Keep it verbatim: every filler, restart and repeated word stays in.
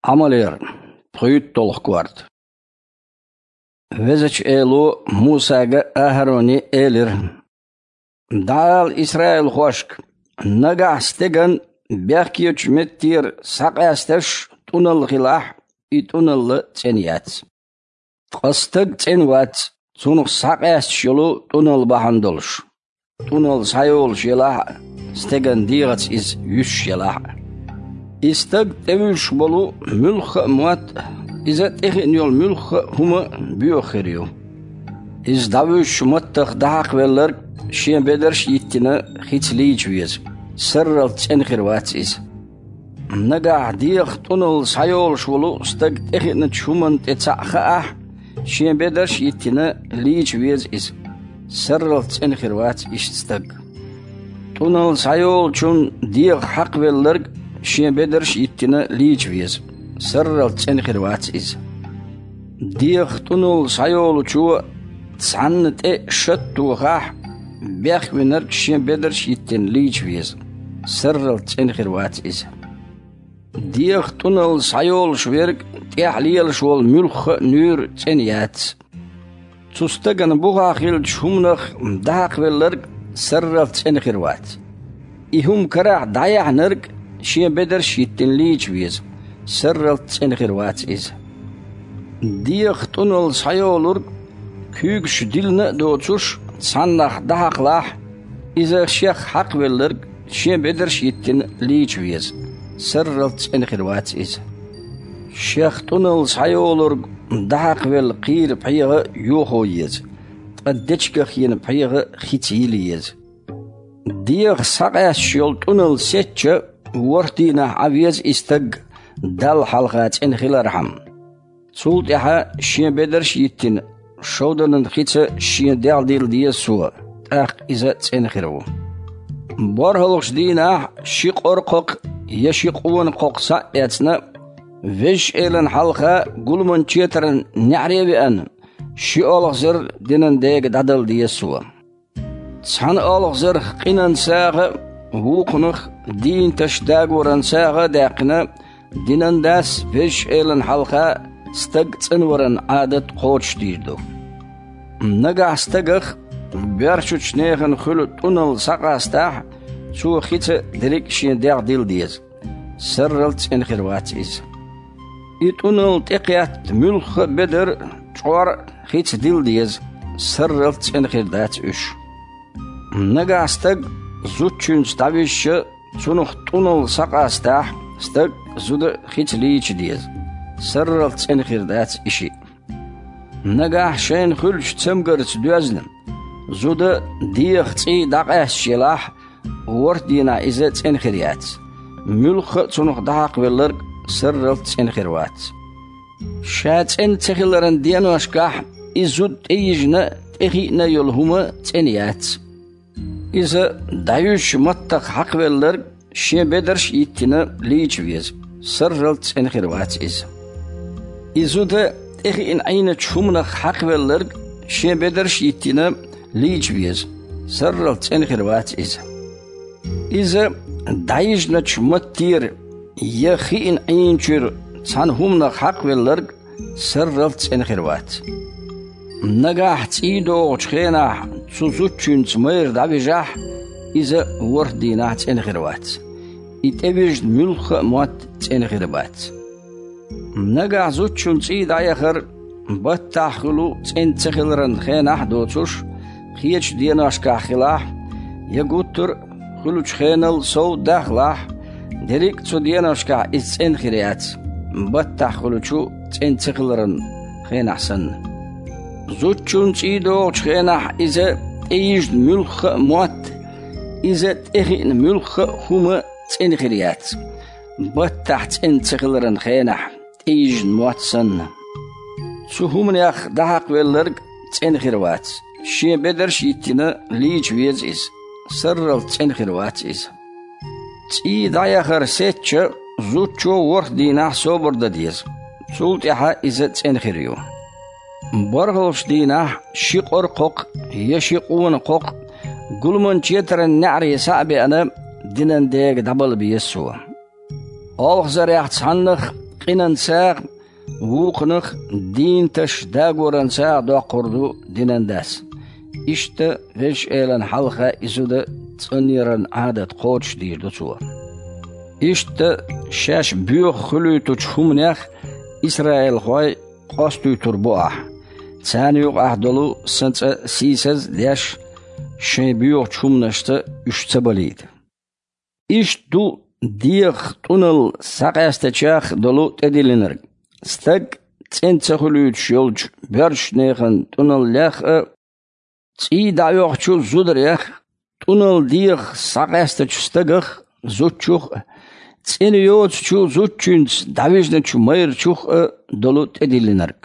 Ӏамалера, пхуьйтталгӀа корта. Везачу Эло Мусага а, АхӀароне а элира: «ДӀаала исраилхошка: нагахь стеган бехкечу меттера схьакъаьсташ тӀуналла хилахь, и тӀуналла цӀена яц. Ткъа стаг цӀена вац, цунах схьакъаьсташ йолу тӀуналла бахьана долуш, тӀуналла схьайолуш елахь а, стеган дегӀаца иза юьсуш елахь а. И стаг тӀевуьжуш болу муьлхха а мотт а, иза тӀехиъна йолу муьлхха а хӀума боьха хир ю. Иза дӀавуьжучу маттах дӀахьакхавелларг шен бедарш а йиттина хица лийча веза, сарралц цӀена хир вац иза. Нагахь дегӀах тӀуналла схьайолуш волу стаг тӀехиъначу хӀуманна тӀе цхьаъ хаахь, шен бедарш а йиттина лийча веза иза, сарралц цӀена хир вац иштта стаг. ТӀуналла схьайолучунна дегӀах хьакхавелларг шен бедарш а йиттина лийча веза, сарралц цӀена хир вац иза. ДегӀах тӀуналла схьайолучо цхьанна тӀе шад тохахь, бехвинарг шен бедарш а йиттина лийча веза, сарралц цӀена хир вац иза. ДегӀах тӀуналла схьайолуш верг тӀехь лелаш волу муьлхха а нуьйр цӀена яц. Цу стагана бухахь хиллачу хӀуманах дӀахьакхавелларг сарралц цӀена хир вац. И хӀума карахь дӀаяьхьнарг шен бедарш а йиттина лийча веза, сарралц цӀена хир вац иза. ДегӀах тӀуналла схьайолург куьйгаш дилина а доцуш, цхьаннах дӀахьакхалахь, иза шех хьакхавелларг шен бедарш а йиттина лийча веза, сарралц цӀена хир вац иза. Шех тӀуналла схьайолург дӀахьакхавелла кхийра пхьегӀа йохо еза, ткъа дечигах йина пхьегӀа хица йила еза. ДегӀах схьакъаьсташ йолу тӀуналла сецча, ворхӀ дийнахь Ӏан веза и стаг Далла хьалха цӀена хилархьама. Цул тӀаьхьа шен бедарш а йиттина, шовданан хица шен дегӀ дилла деза цо, тӀаккха иза цӀена хир ву. БорхӀалгӀачу дийнахь ши къора кхокха я ши къона кхокха схьа а эцна, Везачу Элана хьалха гуламан четаран неӀаре а веана, ши олхазар динан дега дӀадала деза цо. Цхьана олхазарх къинан сагӀа а, вукхунах дийнаташ дагоран сагӀа а даьккхина, динан дас Везачу Элана хьалха стаг цӀанваран Ӏадат кхочушдийр ду. Нагахь стагах боьршачу нехан хуьлу тӀуналла схьакъастахь, цо хица дерриг а шен дегӀ дилла деза, сарралц цӀена хир вац иза. И тӀуналла тӀекхетта муьлхха а бедар а, чкъор а хица дилла деза, сарралц цӀена хир дац уьш. Нагахь стаг зудчуьнца дӀавижча, цунах тӀуналла схьакъастахь, стаг а, зуда а хица лийча деза, сарралц цӀена хир дац и шиъ. Нагахь шайна хуьлучу цамгарца доьзна, зуда дегӀах цӀий дӀакъаьсташ елахь, ворхӀ дийнахь иза цӀена хир яц, муьлхха а цунах дӀахьакхавелларг сарралц цӀена хир вац. Ша цӀена ца хиларан деношкахь и зуда тӀейижина а, тӀехиъна а йолу хӀума цӀена яц. Иза дӀаюьжучу маттах хьакхавелларг шен бедарш а йиттина лийча веза, сарралц цӀена хир вац иза. И зуда тӀехиъна Ӏийначу хӀуманах хьакхавелларг шен бедарш а йиттина лийча веза, сарралц цӀена хир вац иза. Иза дӀайижначу маттера я хиъна Ӏийначуьра цхьана хӀуманах хьакхавелларг сарралц цӀена хир вац. Нагахь цӀий догӀучу хенахь цу зудчуьнца майра дӀавижахь, иза ворхӀ дийнахь цӀена хир вац. И тӀевижна муьлхха а мотт цӀена хир бац. Нагахь зудчун цӀий дӀаяхар баттахь хуьлу цӀена ца хиларан хенахь а доцуш, кхечу деношкахь хилахь, я гуттар а хуьлучу хенал сов дахалахь, дерриг а цу деношкахь иза цӀена хир яц, баттахь хуьлучу цӀена ца хиларан хенахь санна. Зудчун цӀий догӀучу хенахь иза тӀейижна муьлхха а мотт, иза тӀехиъна муьлхха а хӀума цӀена хир яц, баттахь цӀена ца хиларан хенахь тӀейижна мотт санна. Цу хӀуманех дӀахьакхавелларг цӀена хир вац, шен бедарш а йиттина лийча веза иза, сарралц цӀена хир вац иза. ЦӀий дӀаяхар сецча, зудчо ворхӀ дийнахь собар дан деза, цул тӀаьхьа иза цӀена хир ю. БорхӀалгӀачу дийнахь ши къора кхокха я ши къона кхокха гуламан четаран неӀаре схьа а беана, динан дега дӀабала беза цо. Олхазарех цхьаннах къинанцагӀ, вукхунах дийнаташ дагоранцагӀ доккхур ду динан дас. Иштта Везачу Элана хьалха и зуда цӀанъяран Ӏадат кхочушдийр ду цо. Иштта шаьш боьха хуьлуьйтучу хӀуманех исраилхой къостойтур бу ахь, царна юкъахь долу сан цӀа сийсаз а деш, шайн боьхачу хӀуманашца уьш ца балийта. Иштта ду дегӀах тӀуналла схьакъаьстачех долу тӀедиллинарг. Стаг цӀена ца хуьлуьйтуш йолчу боьршачу нехан тӀуналлех а, цӀий дӀаоьхучу зударех, тӀуналла дегӀах схьакъаьстачу стагах, зудчух а, цӀена йоцучу зудчуьнца дӀавижначу майрачух а долу тӀедиллинарг.